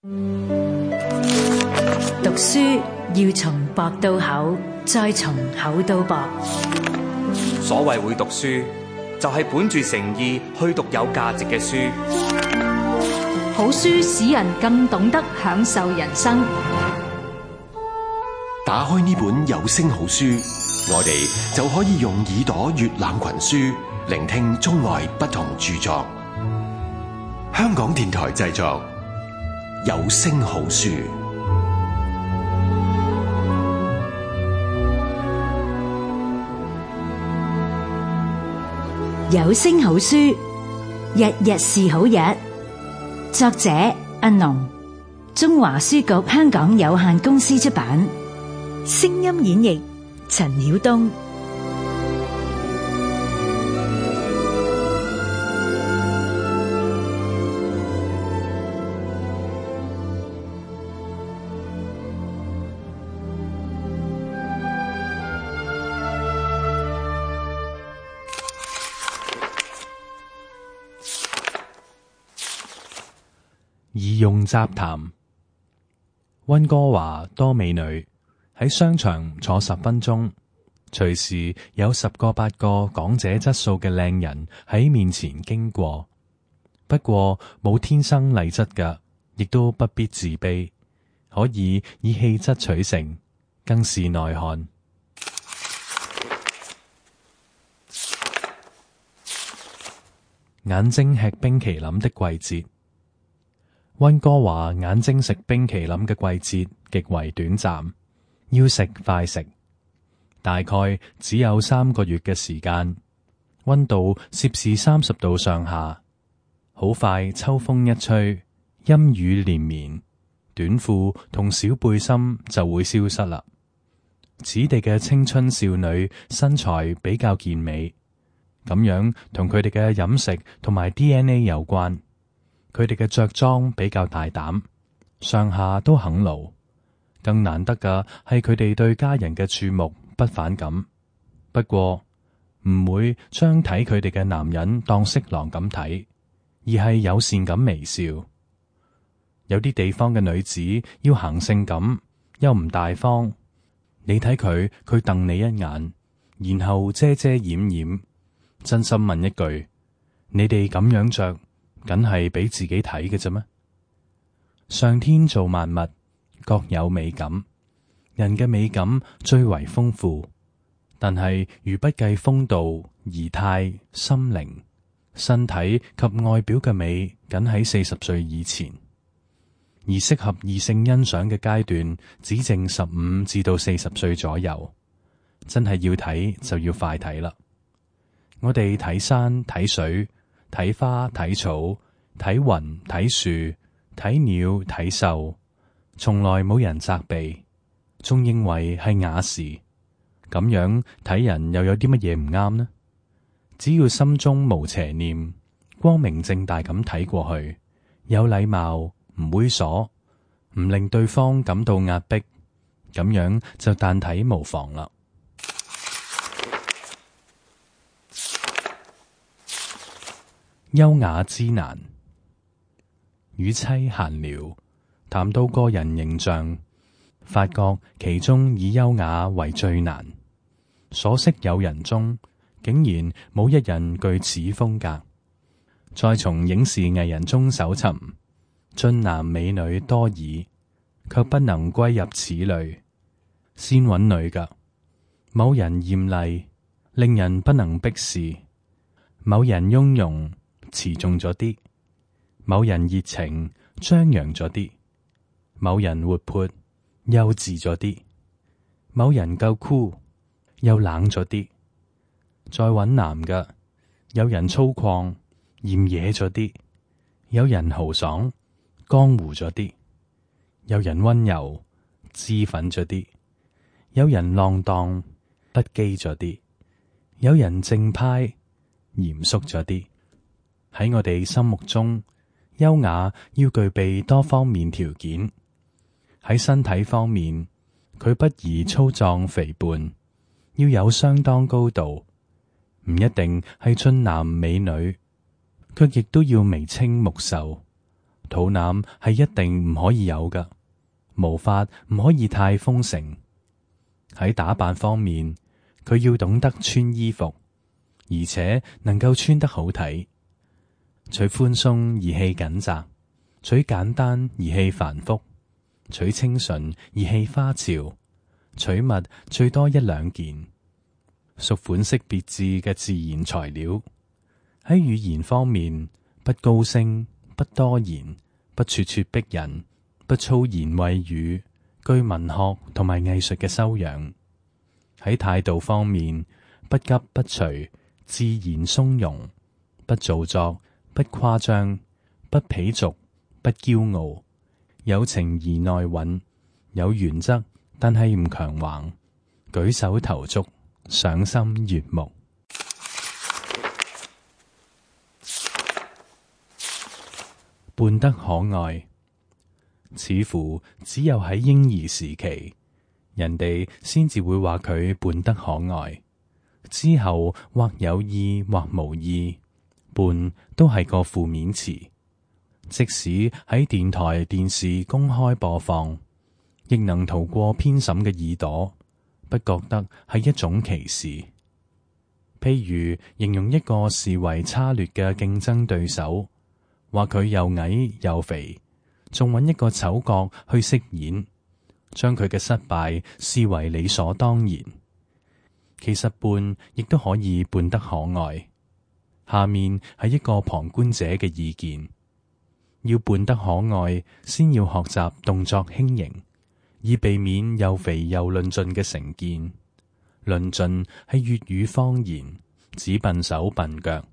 讀書要從薄到厚，再從厚到薄。所謂會讀書，就係本住誠意去讀有價值嘅書。好書使人更懂得享受人生。打開呢本有聲好書，我哋就可以用耳朵閱覽群書，聆聽中外不同著作。香港電台製作，有聲好書。有聲好書，日日是好日。作者阿農，中華書局香港有限公司出版。聲音演繹陳曉東。儀容雜談。溫哥華多美女，喺商場坐10分鐘，隨時有10個8個港姐質素嘅靚人喺面前經過。不過冇天生麗質㗎，亦都不必自卑，可以以氣質取勝，更是內涵。眼睛吃冰淇淋的季節。溫哥華眼睛食冰淇淋嘅季節極為短暫，要食快食，大概只有3個月嘅時間，溫度攝氏30度上下。好快秋風一吹，陰雨連綿，短褲同小背心就會消失啦。此地嘅青春少女身材比較健美，咁樣同佢哋嘅飲食同埋 DNA 有關。佢哋嘅着裝比較大膽，上下都肯露。更難得嘅係佢哋對家人嘅注目不反感，不過唔會將睇佢哋嘅男人當色狼咁睇，而係友善咁微笑。有啲地方嘅女子要行性感又唔大方，你睇佢瞪你一眼，然後遮遮掩掩。真心問一句，你哋咁樣着，梗係俾自己睇嘅啫咩？上天造萬物各有美感，人嘅美感最為豐富，但係如不計風度、儀態、心靈、身體及外表嘅美，僅喺40歲以前，而適合異性欣賞嘅階段只剩15至到40歲左右。真係要睇就要快睇啦！我哋睇山睇水，睇花睇草，睇雲睇樹，睇鳥睇獸，從來冇人責備，仲認為係雅事。咁樣睇人又有啲乜嘢唔啱呢？只要心中無邪念，光明正大咁睇過去，有禮貌，唔猥瑣，唔令對方感到壓迫，咁樣就但睇無妨啦。優雅之難。與妻閒聊，談到個人形象，發覺其中以優雅為最難。所識友人中，竟然冇一人具此風格。再從影視藝人中搜尋，俊男美女多矣，卻不能歸入此類。先揾女㗎，某人艷麗，令人不能逼視；某人雍容，持重咗啲；某人熱情，張揚咗啲；某人活潑，幼稚咗啲；某人夠酷，又冷咗啲。再揾男嘅，有人粗獷，嫌野咗啲；有人豪爽，江湖咗啲；有人溫柔，脂粉咗啲；有人浪蕩，不羈咗啲；有人正派，嚴肅咗啲。喺我哋心目中，優雅要具備多方面條件。喺身體方面，佢不宜粗壯肥胖，要有相當高度，唔一定係俊男美女，卻亦都要眉清目秀，肚腩係一定唔可以有㗎，毛髮唔可以太豐盛。喺打扮方面，佢要懂得穿衣服，而且能夠穿得好睇。取寬鬆而氣緊窄，取簡單而氣繁複，取清純而氣花俏，取物最多一兩件，屬款式別致嘅自然材料。喺語言方面，不高聲，不多言，不咄咄逼人，不粗言穢語，具文學同埋藝術嘅修養。喺態度方面，不急不隨，自然鬆容，不做作，不誇張，不鄙俗，不驕傲，有情而內蘊，有原則但係唔強橫，舉手投足賞心悅目。笨得可愛，似乎只有喺嬰兒時期，人哋先至會話佢笨得可愛，之後或有意或無意，笨都係個負面詞。即使喺電台電視公開播放，亦能逃過編審嘅耳朵，不覺得係一種歧視。譬如形容一個視為差劣嘅競爭對手，話佢又矮又肥，仲揾一個丑角去飾演，將佢嘅失敗視為理所當然。其實笨亦都可以笨得可愛。下面係一個旁觀者嘅意見：要笨得可愛，先要學習動作輕盈，以避免又肥又論盡嘅成見。論盡係粵語方言，指笨手笨腳。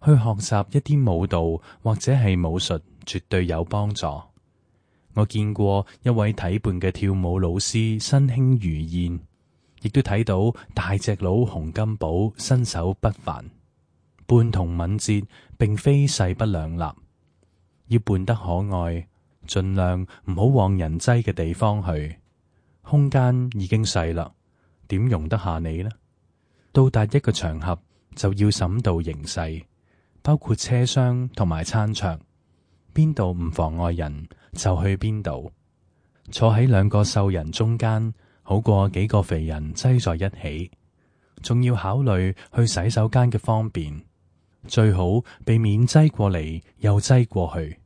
去學習一啲舞蹈或者係武術，絕對有幫助。我見過一位體胖嘅跳舞老師身輕如燕，亦都睇到大隻佬洪金寶身手不凡。笨同敏捷並非勢不兩立，要笨得可愛，盡量唔好往人擠嘅地方去。空間已經細啦，點容得下你呢？到達一個場合就要審度形勢，包括車廂同埋餐桌，邊度唔妨礙人就去邊度。坐喺兩個瘦人中間，好過幾個肥人擠在一起。仲要考慮去洗手間嘅方便，最好避免擠過嚟又擠過去。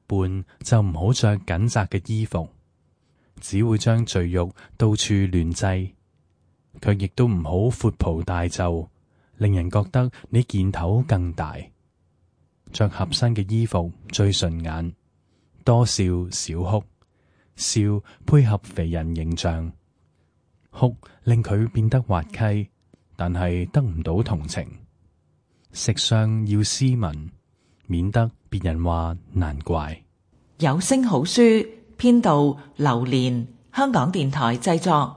笨就唔好着緊窄嘅衣服，只會將贅肉到處亂擠。卻亦都唔好闊袍大袖，令人覺得你件頭更大。着合身嘅衣服最順眼，多笑少哭，笑配合肥人形象，哭令佢變得滑稽，但係得唔到同情。食相要斯文，免得別人話難怪。有聲好書編導劉蓮，香港電台製作。